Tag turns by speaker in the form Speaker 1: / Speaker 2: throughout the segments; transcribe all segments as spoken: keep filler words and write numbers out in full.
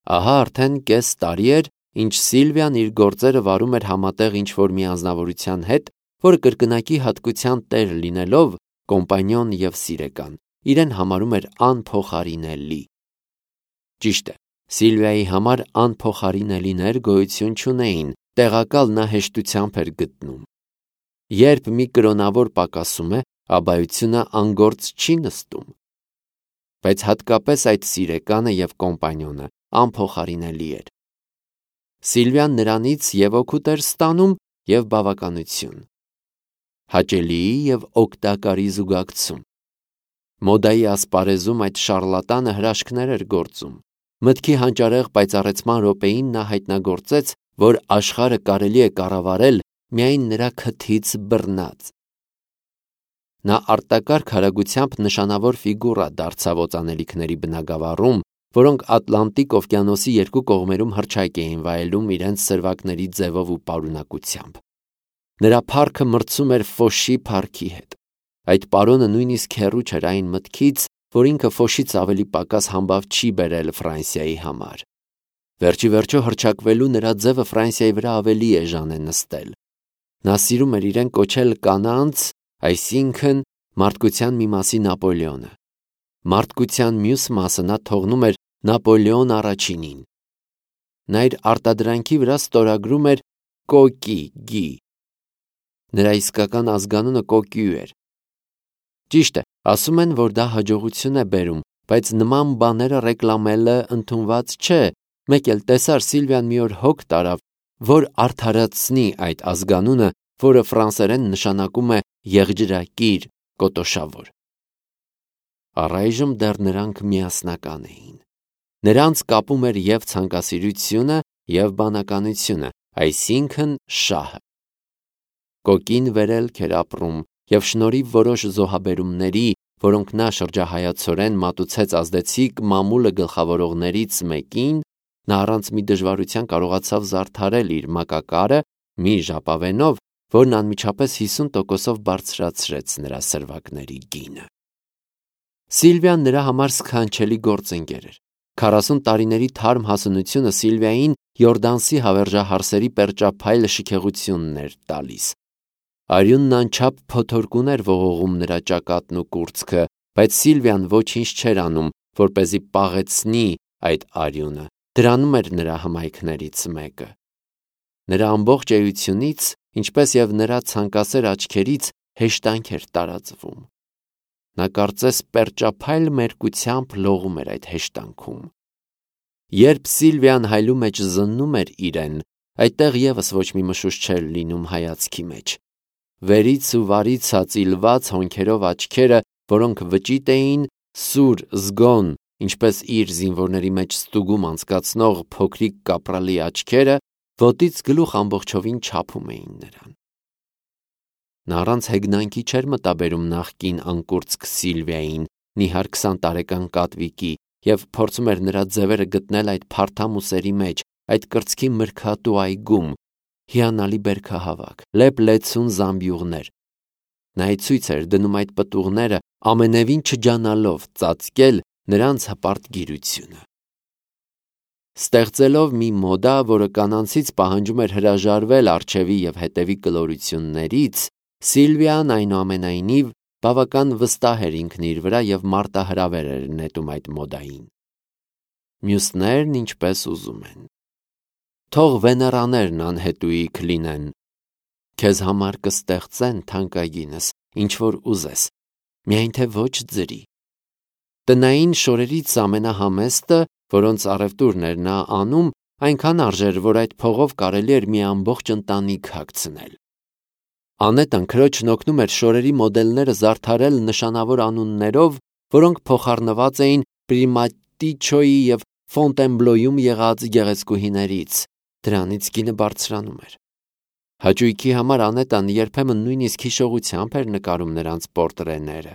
Speaker 1: Ահա արդեն կես տարի էր, ինչ Սիլվիան իր գործերը վարում էր համատեղ ինչ-որ մի անձնավորության հետ, որը կրկնակի հատկության տեր լինելով կոմպանիոն և սիրեկան, իրեն համարում էր անփոխարինելի։ Ճիշտ է, Սիլվիայի համար անփոխարինելիներ գոյություն չունեին, տեղակալ նա հեշտությամբ էր գտնում։ Երբ մի կրոնավոր պակասում է, աբայությունը անգործ չի նստում։ Բայց հատկապես այդ սիրեկանը և կոմպանիոնը անփոխարինելի էր։ Սիլվիան նրանից և օգուտ էր ստանում, և բավականություն, հաճելիի և օգտակարի զուգակցում։ Մոդայի ասպարեզում այդ շառլատանը հրաշքներ էր գործում։ Մտքի հանճարեղ պայծառեցման րոպեին նա հայտնագործեց, որ աշխարհը կարելի է կառավարել միայն նրա քթից բռնած։ Նա արտակարգ արագությամբ նշանավոր ֆիգուրա դարձավ օծանելիքների բնագավառում, որոնք Ատլանտիկ օվկիանոսի երկու կողմերում հռչակ էին վայելում իրենց սրվակների ձևով ու պարունակությամբ։ Նրա փառքը մրցում էր Ֆոշի փառքի հետ։ Այդ պարոնը նույնիսկ հեռու չէր այն մտքից, որ ինքը Ֆոշից ավելի պակաս համբավ չի բերել Ֆրանսիայի համար։ Վերջի վերջո հռչակվելու նրա ձևը Ֆրանսիայի վրա ավելի էժան է նստել։ Նա սիրում էր իրեն կոչել կանանց, այսինքն մարդկության մի մասի Նապոլեոնը։ Մարդկության մյուս մասը նա թողնում էր Նապոլեոն առաջինին։ Նա իր արտադրանքի վրա ստորագրում էր Կոկի գի։ Նրա իսկական ազգանունը Կոկյու էր։ Ճիշտ է, ասում են, որ դա հաջողություն է բերում, բայց նման բաները ռեկլամելը ընդունված չէ։ Մեկ էլ տեսար Սիլվիան մի օր հոգ տարավ, որ արդարացնի այդ ազգանունը, որը ֆրանսերեն նշանակում է եղջրակիր, կոտոշավոր։ Առայժմ դեռ նրանք միասնական էին։ Նրանց կապում էր և ցանկասիրությունը, և բանականությունը, այսինքն շահը։ Կոկին վերելք էր ապրում, և շնորհիվ որոշ զոհաբերումների, որոնք նա շրջահայացորեն մատուցեց ազդեցիկ մամուլը գլխավորողներից մեկին, նա առանց մի դժվարության կարողացավ զարդարել իր մակակարը մի ժապավենով, որն անմիջապես հիսուն տոկոսով բարձրացրեց նրա սրվակների գինը։ Սիլվիան նրա համար սքանչելի գործընկեր էր։ Քառասուն տարիների թարմ հասունությունը Սիլվիային Յորդանսի հավերժահարսերի պերճափայլ շքեղությունն էր տալիս։ Արյունն անչափ փոթորկուն էր ողողում նրա ճակատն ու կուրծքը, բայց Սիլվիան ոչինչ չէր անում, որպեսզի պաղեցնի այդ արյունը։ Դրանում էր նրա հմայքներից մեկը։ Նրա ամբողջ էությունից, ինչպես և նրա ցանկասեր աչքերից հեշտանք էր տարածվում։ Նա կարծես պերճափայլ մերկությամբ լողում էր այդ հեշտանքում։ Երբ Սիլվիան հայլու մեջ զննում էր իրեն, այդտեղ ևս ոչ մի մշուշ չէր լինում հայացքի մեջ։ Վերից ու վարից հაწիլված հոնքերով աչքերը, որոնք վճիտ էին, սուր, զգոն, ինչպես իր զինվորների մեջ ստուգում անցկացնող փոքրիկ կապրալի աչքերը, ոտից գլուխ ամբողջովին չափում էին նրան։ Նա առանց հեգնանքի չէր մտաբերում նախկին անկուրծք Սիլվիային, նիհար քսան տարեկան կատվիկի, և փորձում էր նրա ձևերը գտնել այդ փարթամուսերի մեջ, այդ կրծքի մրգատու այգում, հիանալի բերքահավաք, լեփ-լեցուն զամբյուղներ։ Նա ի ցույց էր դնում այդ պտուղները, ամենևին չջանալով ծածկել նրանց հպարտ գիրությունը։ Ստեղծելով մի մոդա, որը կանանցից պահանջում էր հրաժարվել առջևի և հետևի կլորություններից, Սիլվիան այնուամենայնիվ բավական վստահ էր ինքն իր վրա և մարտահրավեր էր նետում այդ մոդային։ Մյուսներն ինչպես ուզում են։ Թող վեներաներն անհետույք լինեն։ Քեզ համար կստեղծեն թանկագինս, ինչ որ ուզես, միայն թե ոչ ձրի։ Տնային շորերից ամենահամեստը, որոնց առևտուրն էր նա անում, այնքան արժեր, որ այդ փողով կարելի էր մի ամբողջ ընտանիք հագցնել։ Անետան քրոջն օգնում էր շորերի մոդելները զարդարել նշանավոր անուններով, որոնք փոխառնված էին Պրիմատիչոյի և Ֆոնտենբլոյում եղած գեղեցկուհիներից։ Դրանից գինը բարձրանում էր։ Հաճույքի համար Անետան երբեմն նույնիսկ հիշողությամբ էր նկարում նրանց պորտրեները։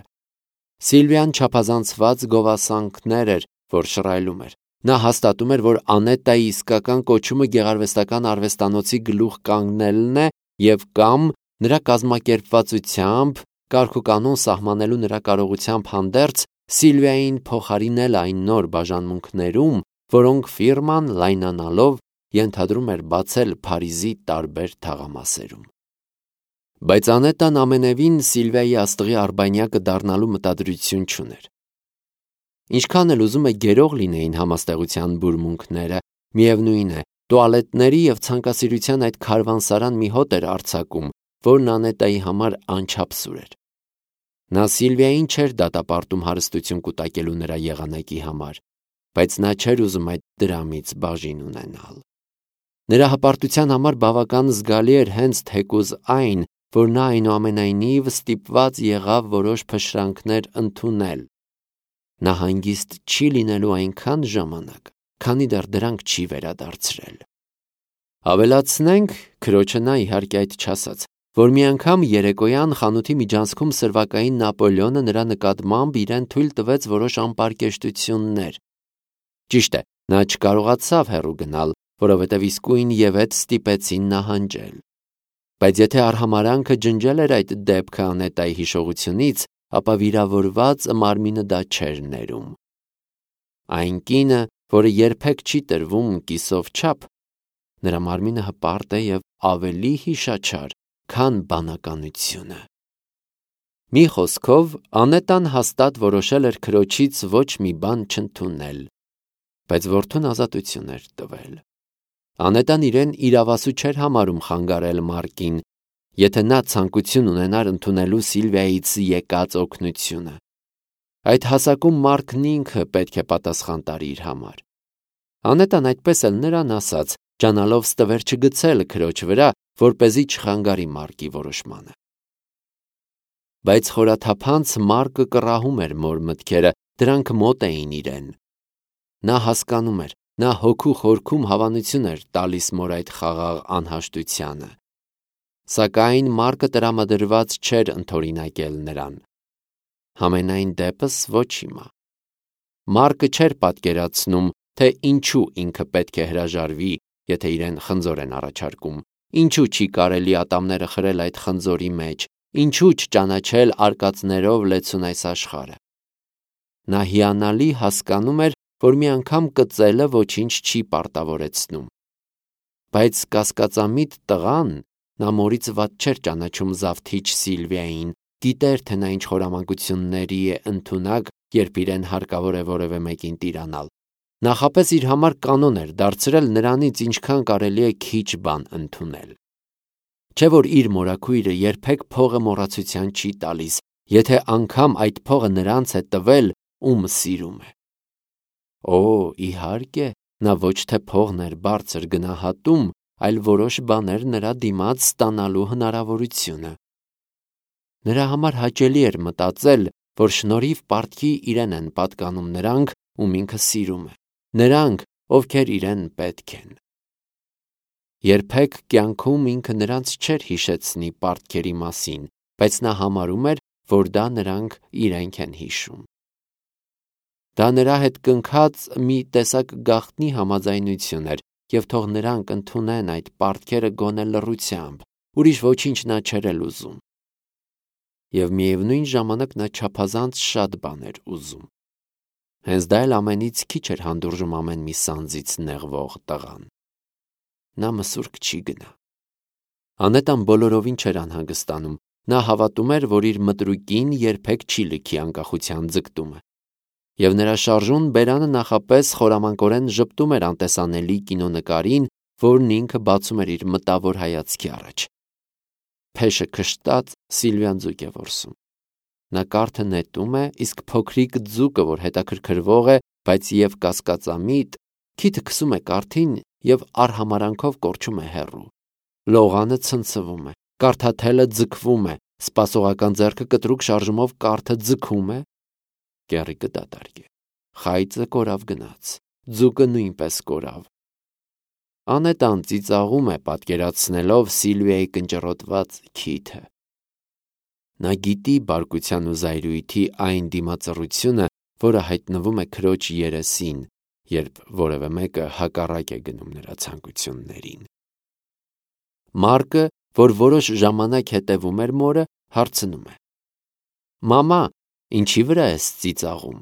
Speaker 1: Սիլվիան չափազանցված գովասանքներ էր, որ շռայլում էր։ Նա հաստատում էր, որ Անետայի իսկական կոչումը գեղարվեստական արվեստանոցի գլուխ կանգնելն է և կամ նրա կազմակերպվածությամբ, կարգուկանոն սահմանելու նրա կարողությամբ հանդերձ, Սիլվիային փոխարինել այն նոր բաժանմունքներում, որոնք ֆիրման լայնանալով ենթադրում էր բացել Փարիզի տարբեր թաղամասերում։ Բայց Անետան ամենևին Սիլվիայի աստղի արբանյակը դառնալու մտադրություն չուներ։ Ինչքան էլ ուզում է գերող լինեին համաստեղության բուրմունքները, միևնույն է, տուալետների և ցանկասիրության այդ քարվանսարան մի հոտ էր արձակում, որն Անետայի համար անչափ սուր էր։ Նա Սիլվիային չէր դատապարտում հարստություն կուտակելու նրա եղանակի համար, բայց նա չէր ուզում այդ դրամից բաժին ունենալ։ Նրա հպարտության համար բավական զգալի էր հենց թեկուզ այն, որ նա այնուամենայնիվ ստիպված եղավ որոշ փշրանքներ ընդունել։ Նա հանգիստ չի լինելու այնքան ժամանակ, քանի դեռ դրանք չի վերադարձրել։ Ավելացնենք, քրոջը նա իհարկե այդ չասաց, որ մի անգամ երեկոյան խանութի միջանցքում սրվակային Նապոլեոնը նրա նկատմամբ իրեն թույլ տվեց որոշ անպարկեշտություններ։ Ճիշտ է, նա չկարողացավ հեռու գնալ, որովհետև իսկույն ևեթ ստիպեցին նահանջել։ Բայց եթե արհամարանքը ջնջել էր այդ դեպքը Անետայի հիշողությունից, ապա վիրավորված մարմինը դա չէր ներում։ Այն կինը, որը երբեք չի տրվում կիսով չափ, նրա մարմինը հպարտ է և ավելի հիշաչար, քան բանականությունը։ Մի խոսքով, Անետան հաստատ որոշել էր քրոջից ոչ մի բան չընդունել, բայց որդուն ազատություն էր տվել։ Անետան իրեն իրավասու չէր համարում խանգարել Մարկին, եթե նա ցանկություն ունենար ընդունելու Սիլվիայից եկած օգնությունը։ Այդ հասակում Մարկն ինքը պետք է պատասխան տարի իր համար։ Անետան այդպես էլ նրան ասաց, ջանալով ստվեր չգցել քրոջ վրա, որպեսզի չխանգարի Մարկի որոշմանը։ Բայց խորաթափանց Մարկը կռահում էր մոր մտքերը, դրանք մոտ էին իրեն։ Նա հասկանում էր, նա հոգու խորքում հավանություն էր տալիս մոր այդ խաղաղ անհաշտությանը։ Սակայն Մարկը տրամադրված չէր ընդօրինակել նրան։ Համենայն դեպս ոչ հիմա։ Մարկը չէր պատկերացնում, թե ինչու ինքը պետք է հրաժարվի, եթե իրեն խնձոր են առաջարկում, ինչու չի կարելի ատամները խրել այդ խնձորի մեջ, ինչու չճանաչել արկածներով լեցուն այս աշխարհը։ Նա հիանալի հասկանում էր, որ մի անգամ կծելը ոչինչ չի պարտավորեցնում։ Բայց կասկածամիտ տղան, նա մորից վատ չէր ճանաչում Զավթիչ Սիլվիային, գիտեր, թե նա ինչ խորամանկությունների է ընդունակ, երբ իրեն հարկավոր է որևէ մեկին տիրանալ։ Նախապես իր համար կանոն էր դարձրել նրանից ինչքան կարելի է քիչ բան ընդունել։ Չէ որ իր մորաքույրը երբեք փողը մոռացության չի տալիս, եթե անգամ այդ փողը նրանց է տվել, ում սիրում է։ Օ, իհարկե, նա ոչ թե փողն էր բարձր գնահատում, այլ որոշ բաներ նրա դիմաց ստանալու հնարավորությունը։ Նրա համար հաճելի էր մտածել, որ շնորհիվ պարտքի իրեն են պատկանում նրանք, ում ինքը սիրում է, նրանք, ովքեր իրեն պետք են։ Երբեք կյանքում ինքը նրանց չէր հիշեցնի պարտքերի մասին, բայց նա համարում էր, որ դա նրանք իրենք են հիշում։ Դա նրա հետ կնքած մի տեսակ գաղտնի համաձայնություն էր, և թող նրանք ընդունեն այդ պարտքերը գոնե լռությամբ, ուրիշ ոչինչ նա չէր էլ ուզում։ Եվ միևնույն ժամանակ նա չափազանց շատ բան էր ուզում։ Հենց դա էլ ամենից քիչ էր հանդուրժում ամեն մի սանձից նեղվող տղան։ Նա մսուրկ չի գնա։ Անետան բոլորովին չէր անհանգստանում։ Նա հավատում էր, որ իր մտրուկին երբեք չի լքի անկախության ձգտումը։ Եվ նրա շարժուն բերանը նախապես խորամանկորեն ժպտում էր անտեսանելի կինոնկարին, որն ինքը բացում էր իր մտավոր հայացքի առաջ։ Փեշը քշտած Սիլվիան ձուկ է որսում։ Նա կարթը նետում է, իսկ փոքրիկ ձուկը, որ հետաքրքրվող է, բայց և կասկածամիտ, քիթը քսում է կարթին և արհամարանքով կորչում է հեռու։ Լողանը ցնցվում է, կարթաթելը ձգվում է, սպասողական ձեռքը կտրուկ շարժումով կարթը ձգում է, կեռիկը դատարկ է, խայծը կորավ գնաց, ձուկը նույնպես կորավ։ Անետան ծիծաղում է, պատկերացնելով Սիլվիայի կնճռոտված քիթը։ Նա գիտի բարկության ու զայրույթի այն դիմածռությունը, որը հայտնվում է քրոջ երեսին, երբ որևէ մեկը հակառակ է գնում նրա ցանկություններին։ Մարկը, որ որոշ ժամանակ հետևում էր մորը, հարցնում է. «Մամա, ինչի վրա ես ծիծաղում»։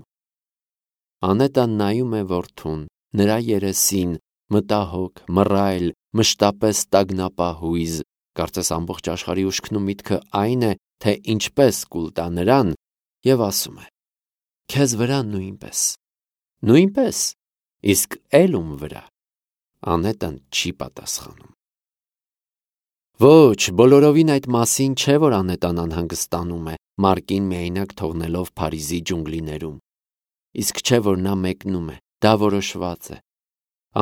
Speaker 1: Անետան նայում է որդուն, նրա երեսին, մտահոգ, մռայլ, մշտապես տագնապահույզ, կարծես ամբողջ աշխարհի ուշքն ու միտքը այն է, թե ինչպես կուլ տա նրան, եւ ասում է. «Քեզ վրա նույնպես»։ Նույնպես, իսկ էլ ում վրա։ Անետան չի պատասխանում։ Ոչ, բոլորովին այդ մասին չէ, որ Անետան անհանգստանում է, Մարկին միայնակ թողնելով Փարիզի ջունգլիներում։ Իսկ չէ, որ նա մեկնում է, դա որոշված է։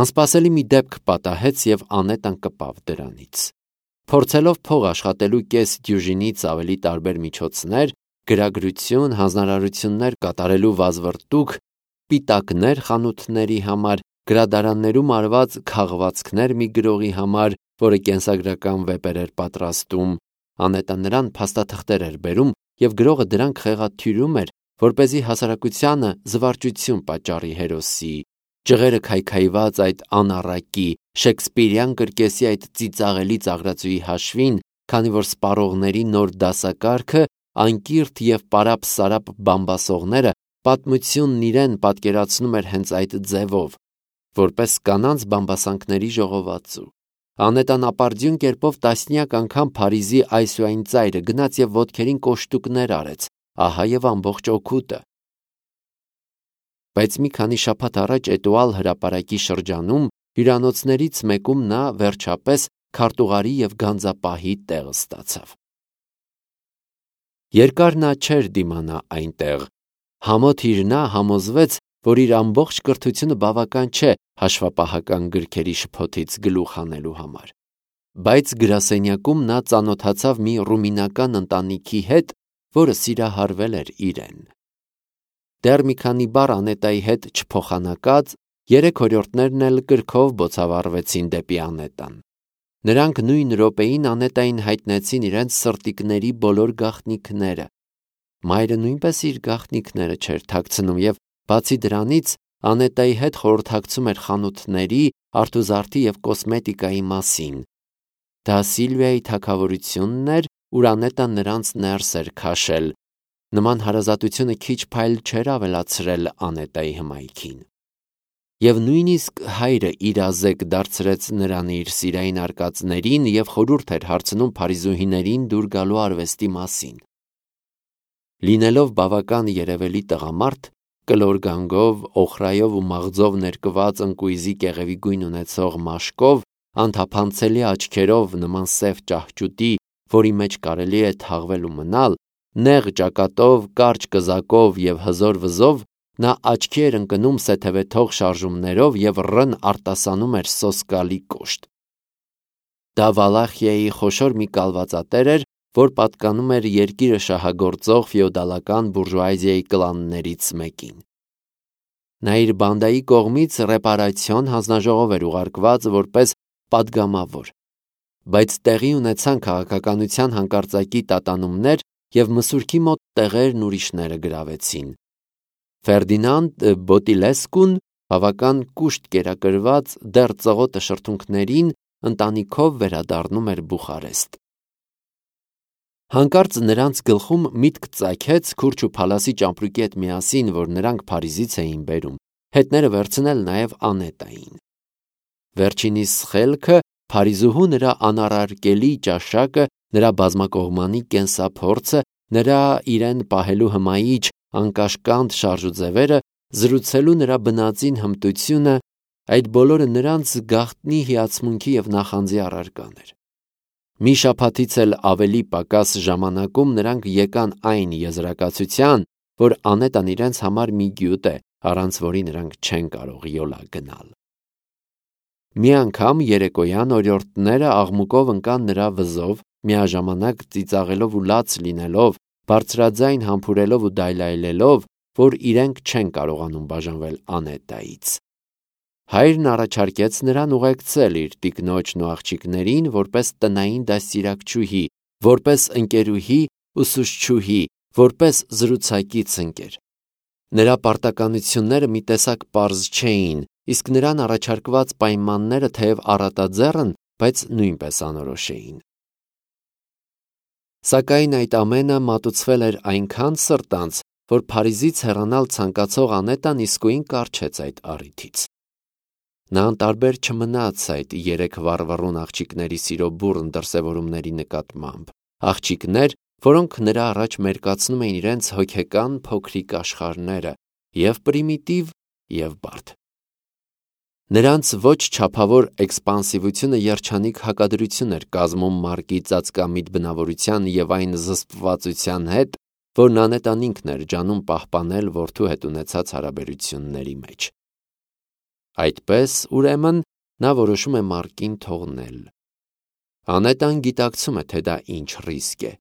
Speaker 1: Անսպասելի մի դեպք պատահեց եւ Անետան կպավ դրանից։ Փորձելով փող աշխատելու կես դյուժինից ավելի տարբեր միջոցներ, գրագրություն, հանձնարարություններ կատարելու վազվռտուք, պիտակներ խանութների համար, գրադարաններում արված քաղվածքներ մի գրողի համար, որը կենսագրական վեպեր էր պատրաստում, Անետան նրան փաստաթղթեր էր բերում եւ գրողը դրանք խեղաթյուրում էր, որպեսզի հասարակությանը զվարճություն պատճառի հերոսի, ջղերը քայքայված այդ անառակի, շեքսպիրյան կրկեսի այդ ծիծաղելի ծաղրածուի հաշվին, քանի որ սպառողների նոր դասակարգը, անկիրթ եւ պարապ-սարապ բամբասողները պատմությունն իրեն պատկերացնում էր հենց այդ ձևով, որպես կանանց բամբասանքների ժողովածու։ Անետան ապարդյուն կերպով տասնյակ անգամ Փարիզի այս ու այն ծայրը գնաց եւ ոտքերին կոշտուկներ արեց, ահա եւ ամբողջ օգուտը։ Բայց մի քանի շաբաթ առաջ Էտուալ հրապարակի շրջանում հյուրանոցներից մեկում նա վերջապես քարտուղարի եւ գանձապահի տեղ ստացավ։ Երկար նա չէր դիմանա այնտեղ։ Համոթ իր նա համոզվեց, որ իր ամբողջ կրթությունը բավական չէ հաշվապահական գրքերի շփոթից գլուխ հանելու համար։ Բայց գրասենյակում նա ծանոթացավ մի ռումինական ընտանիքի հետ, որը սիրահարվել էր իրեն։ Դեռ մի քանի բառ Անետայի հետ չփոխանակած, երեք օրիորդներն էլ կրքով բոցավառվեցին դեպի Անետան։ Նրանք նույն րոպեին Անետային հայտնեցին իրենց սրտիկների բոլոր գաղտնիքները։ Մայրը նույնպես իր գաղտնիքները չէր թաքցնում եւ բացի դրանից Անետայի հետ խորհրդակցում էր խանութների, արթուզարդի եւ կոսմետիկայի մասին։ Դա Սիլվիայի թագավորությունն էր, ուր Անետան նրանց ներս էր քաշել։ Նման հարազատությունը քիչ փայլ չէր ավելացրել Անետայի հմայքին։ Եվ նույնիսկ հայրը իրազեկ դարձրեց նրան իր սիրային արկածներին եւ խորհուրդ էր հարցնում փարիզուհիներին դուր գալու արվեստի մասին։ Լինելով բավական երևելի տղամարդ, կլոր գանգով, օխրայով ու մաղձով ներկված ընկույզի կեղևի գույն ունեցող մաշկով, անթափանցելի աչքերով նման սև ճահճուտի, որի մեջ կարելի է թաղվել ու մնալ, նեղ ճակատով, կարճ կզակով եւ հզոր վզով, նա աչքի էր ընկնում սեթևեթող շարժումներով եւ ռն արտասանում էր սոսկալի կոշտ։ Դա Վալախիայի խոշոր մի կալվածատեր էր, որ պատկանում էր երկիրը շահագործող ֆեոդալական բուրժուազիայի կլաններից մեկին։ Նա իր բանդայի կողմից ռեպարացիոն հանձնաժողով էր ուղարկված որպես պատգամավոր, բայց տեղի ունեցան քաղաքականության հանկարծակի տատանումներ եւ մսուրքի մոտ տեղերն ուրիշները գրավեցին։ Ֆերդինանդ Բոտիլեսկուն բավական կուշտ կերակրված դեռ ծղոտը շրթունքներին ընտանիքով վերադառնում էր Բուխարեստ։ Հանկարծ նրանց գլխում միտք ծագեց Քուրջ ու Փալասի ճամպրուկի հետ միասին, որ նրանք Փարիզից էին բերում, հետները վերցնել նաև Անետային։ Վերջինիս խելքը, Փարիզուհու նրա անառարկելի ճաշակը, նրա բազմակողմանի կենսափորձը, նրա իրեն պահելու հմայիչ անկաշկանդ շարժուձևերը, զրուցելու նրա բնածին հմտությունը, այդ բոլորը նրանց գաղտնի հիացմունքի եւ նախանձի առարկան էր։ Մի շաբաթից էլ ավելի պակաս ժամանակում նրանք եկան այն եզրակացության, որ Անետան իրենց համար մի գյուտ է, առանց որի նրանք չեն կարող յոլա գնալ։ Մի անգամ երեկոյան օրիորդները աղմուկով ընկան նրա վզով, միաժամանակ ծիծաղելով ու լաց լինելով, բարձրաձայն համբուրելով ու դայլայլելով, որ իրենք չեն կարողանում բաժանվել Անետայից։ Հայրն առաջարկեց նրան ուղեկցել իր տիկնոջն ու աղջիկներին որպես տնային դաստիարակչուհի, որպես ընկերուհի, ուսուցչուհի, որպես զրուցակից ընկեր։ Նրա պարտականությունները մի տեսակ պարզ չէին, իսկ նրան առաջարկված պայմանները թեև առատաձեռն, բայց նույնպես անորոշ էին։ Սակայն այդ ամենը մատուցվել էր այնքան սրտանց, որ Փարիզից հեռանալ ցանկացող Անետան իսկույն կառչեց այդ առիթից։ Նա անտարբեր չմնաց այդ երեք վառվռուն աղջիկների սիրո բուռն դրսևորումների նկատմամբ, աղջիկներ, որոնք նրա առաջ մերկացնում էին իրենց հոգեկան փոքրիկ աշխարհները, և պրիմիտիվ, և բարդ։ Նրանց ոչ չափավոր էքսպանսիվությունը երջանիկ հակադրություն էր կազմում Մարկի ծածկամիտ բնավորության և այն զսպվածության հետ, որն Անետան ինքն էր ջանում պահպանել որդու հետ ունեցած հարաբերությունների մեջ։ Այդպես, ուրեմն, նա որոշում է Մարկին թողնել։ Անետան գիտակցում է, թե դա ինչ ռիսկ է։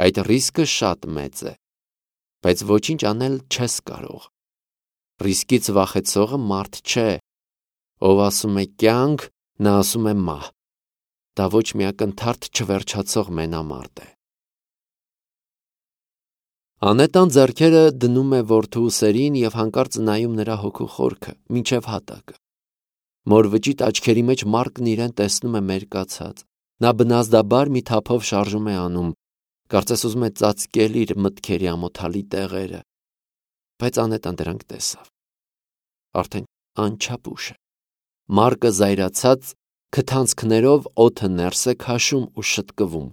Speaker 1: Այդ ռիսկը շատ մեծ է, բայց ոչինչ անել չես կարող։ Ռիսկից վախեցողը մարդ չէ, ով ասում է կյանք, նա ասում է մահ։ Դա ոչ մի ակնթարթ չվերջացող մենամարտ է։ Անետան ձեռքերը դնում է որդու ուսերին և հանկարծ նայում նրա հոգու խորքը, մինչև հատակը։ Մոր վճիտ աչքերի մեջ Մարկն իրեն տեսնում է մերկացած։ Նա բնազդաբար մի թափով շարժում է անում, կարծես ուզում է ծածկել իր մտքերի ամոթալի տեղերը, բայց Անետան դրանք տեսավ։ Արդեն անչափ ուշ է։ Մարկը զայրացած քթանցքներով օդը ներս է քաշում ու շտկվում։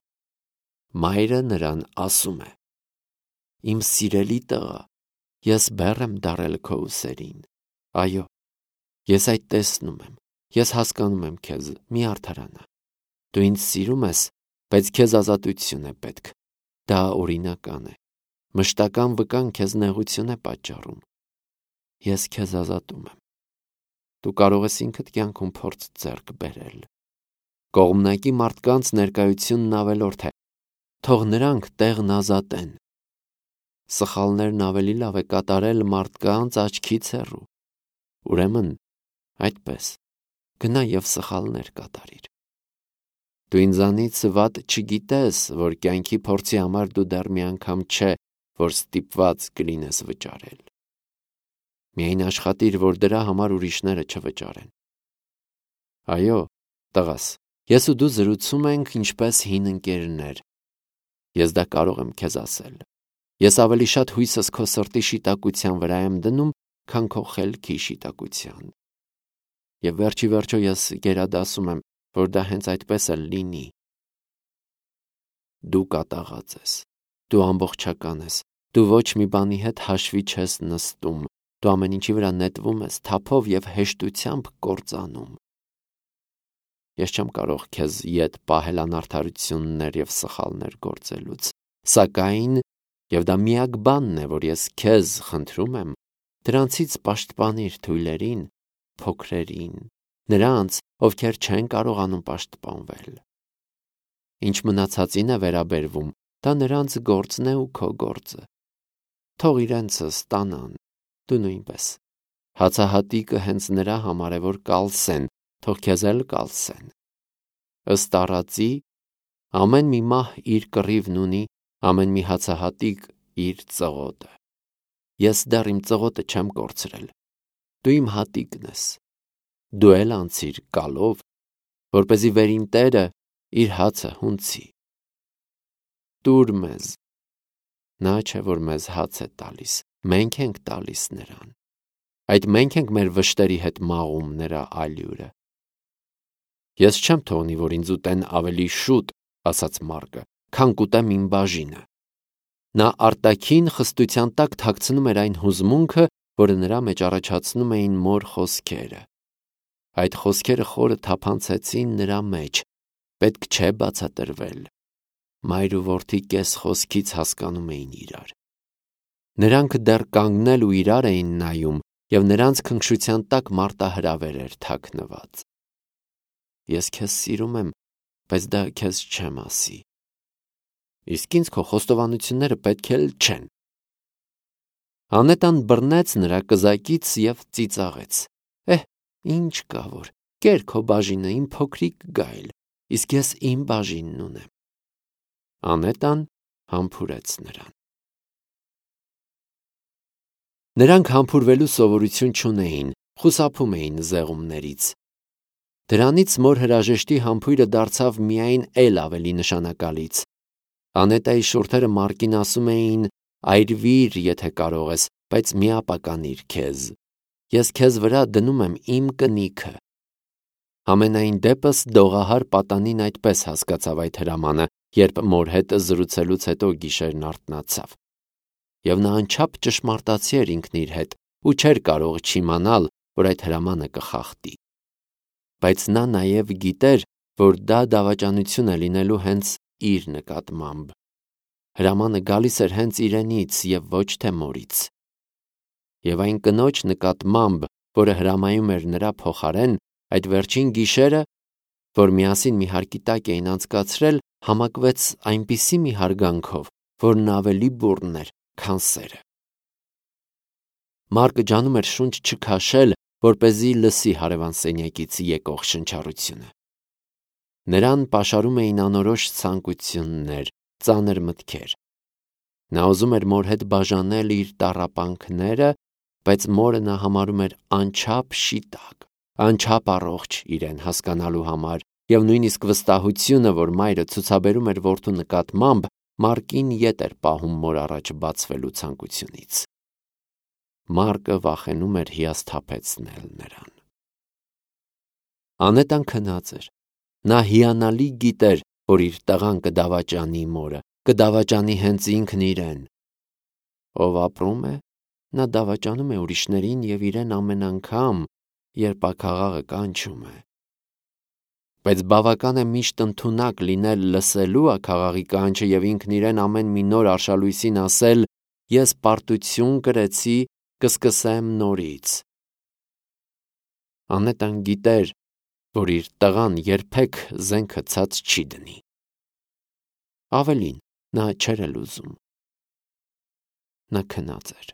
Speaker 1: Մայրը նրան ասում է. «Իմ սիրելի տղա, ես բեռ եմ դարել քո ուսերին։ Այո, ես այդ տեսնում եմ, ես հասկանում եմ քեզ, մի արդարանա։ Դու ինձ սիրում ես, բայց քեզ ազատություն է պետք։ Դա օրինական է։ Մշտական վկան քեզ նեղություն է պատճառում։ Ես քեզ ազատում եմ։ Դու կարող ես ինքդ կյանքում փորձ ձեռք բերել։ Կողմնակի մարդկանց ներկայությունն ավելորդ է։ Թող նրանք տեղն ազատեն։ Սխալներն ավելի լավ է կատարել մարդկանց աչքից հեռու։ Ուրեմն, այդպես, գնա և սխալներ կատարիր։ Դու ինձանից վատ չգիտես, որ կյանքի փորձի համար դու դեռ մի անգամ չէ, որ ստիպված կլինես վճարել։ Միայն աշխատիր, որ դրա համար ուրիշները չվճարեն։ Այո, տղաս, ես ու դու զրուցում ենք ինչպես հին ընկերներ։ Ես դա կարող եմ քեզ ասել։ Ես ավելի շատ հույսս քո սրտի շիտակության վրա եմ դնում, քան քո խելքի շիտակության։ Եվ վերջի վերջո ես գերադասում եմ, որ դա հենց այդպես էլ լինի։ Դու կատաղած ես, դու ամբողջական ես, դու ոչ մի բանի հետ հաշվի չես նստում, դու ամեն ինչի վրա նետվում ես, թափով և հեշտությամբ կործանում։ Ես չեմ կարող քեզ ետ պահել անարդարություններ և սխալներ գործելուց, սակայն, և դա միակ բանն է, որ ես քեզ խնդրում եմ, դրանցից պաշտպանիր թույլերին, փոքրերին, նրանց, ովքեր չեն կարողանում պաշտպանվել։ Ինչ մնացածին է վերաբերվում, դա նրանց գործն է ու քո գործը։ Թող իրենցը ստանան, դու նույնպես։ Հացահատիկը հենց նրա համար է, որ կալսեն, թող քեզ էլ կալսեն։ Ըստ առածի, ամեն մի մահ իր կռիվն ունի, ամեն մի հացահատիկ իր ծղոտը։ Ես դեռ իմ ծղոտը չեմ կորցրել։ Դու իմ հատիկն ես։ Դու էլ անցիր կալով, որպեսզի վերին տերը իր հացը հունցի։ Տուր մեզ։ Նա չէ, որ մեզ հաց է տալիս, մենք ենք տալիս նրան։ Այդ մենք ենք մեր վշտերի հետ մաղում նրա ալյուրը։ Ես չեմ թողնի, որ ինձ ուտեն ավելի շուտ, ասաց Մարկը, քան կուտեմ իմ բաժինը։ Նա արտաքին խստության տակ թաքցնում էր այն հուզմունքը, որը նրա մեջ առաջացնում էին մոր խոսքերը։ Այդ խոսքերը խորը թափանցեցին նրա մեջ, պետք չէ բացատրվել։ Մայր ու որդի կես խոսքից հասկանում էին իրար։ Նրանք դեռ կանգնել ու իրար էին նայում, և նրանց քնքշության տակ մարտահրավեր էր թաքնված։ Ես քեզ սիրում եմ, բայց դա քեզ չեմ ասի։ Իսկ ինձ քո խոստովանությունները պետք էլ չեն։ Անետան բռնեց նրա կզակից և ծիծաղեց. Էհ, ինչ կա որ, կեր քո բաժինը, իմ փոքրիկ գայլ, իսկ ես իմ բաժինն ունեմ։ Անետան համբուրեց նրան։ Նրանք համբուրվելու սովորություն չունեին, խուսափում էին զեղումներից։ Դրանից մոր հրաժեշտի համբույրը դարձավ միայն էլ ավելի նշանակալից։ Անետայի շուրթերը Մարկին ասում էին. այրվիր, եթե կարող ես, բայց մի ապականիր քեզ։ ես քեզ վրա դնում եմ իմ կնիքը։ Համենայն դեպս դողահար պատանին այդպես հասկացավ այդ հրամանը, երբ մոր հետ զրուցելուց հետո գիշերն արթնացավ։ Եվ նա անչափ ճշմարտացի էր ինքն իր հետ ու չէր կարող չիմանալ, որ այդ հրամանը կխախտի։ Բայց նա նաև գիտեր, որ դա դավաճանություն է լինելու հենց իր նկատմամբ։ Հրամանը գալիս էր հենց իրենից և ոչ թե մորից։ Եվ այն կնոջ նկատմամբ, որը հրամայում էր նրա փոխարեն, այդ վերջին գիշերը, որ միասին մի հարկի տակ էին անցկացրել, համակվեց այնպիսի մի հարգանքով, որն ավելի բուռն էր, քան սերը։ Մարկը ջանում էր շունչ չքաշել, որպեսզի լսի հարևան սենյակից եկող շնչառությունը։ Նրան պաշարում էին անորոշ ցանկություններ, ծանր մտքեր։ Նա ուզում էր մոր հետ բաժանել իր տառապանքները, բայց մորը նա համարում էր անչափ շիտակ, անչափ առողջ իրեն հասկանալու համար, և նույնիսկ վստահությունը, որ մայրը ցուցաբերում էր որդու նկատմամբ, Մարկին ետ էր պահում մոր առաջ բացվելու ցանկությունից։ Մարկը վախենում էր հիասթափեցնել նրան։ Անետան քնած էր։ Նա հիանալի գիտեր, որ իր տղան կդավաճանի մորը, կդավաճանի հենց ինքն իրեն։ Ով ապրում է, նա դավաճանում է ուրիշներին և իրեն ամեն անգամ, երբ աքաղաղը կանչում է։ Բայց բավական է միշտ ընդունակ լինել լսելու աքաղաղի կանչը և ինքն իրեն ամեն մի նոր արշալույսին ասել. «Ես պարտություն կրեցի, կսկսեմ նորից»։ Անետան գիտեր, որ իր տղան երբեք զենքը ցած չի դնի։ Ավելին, նա չէր էլ ուզում։ Նա քնած էր։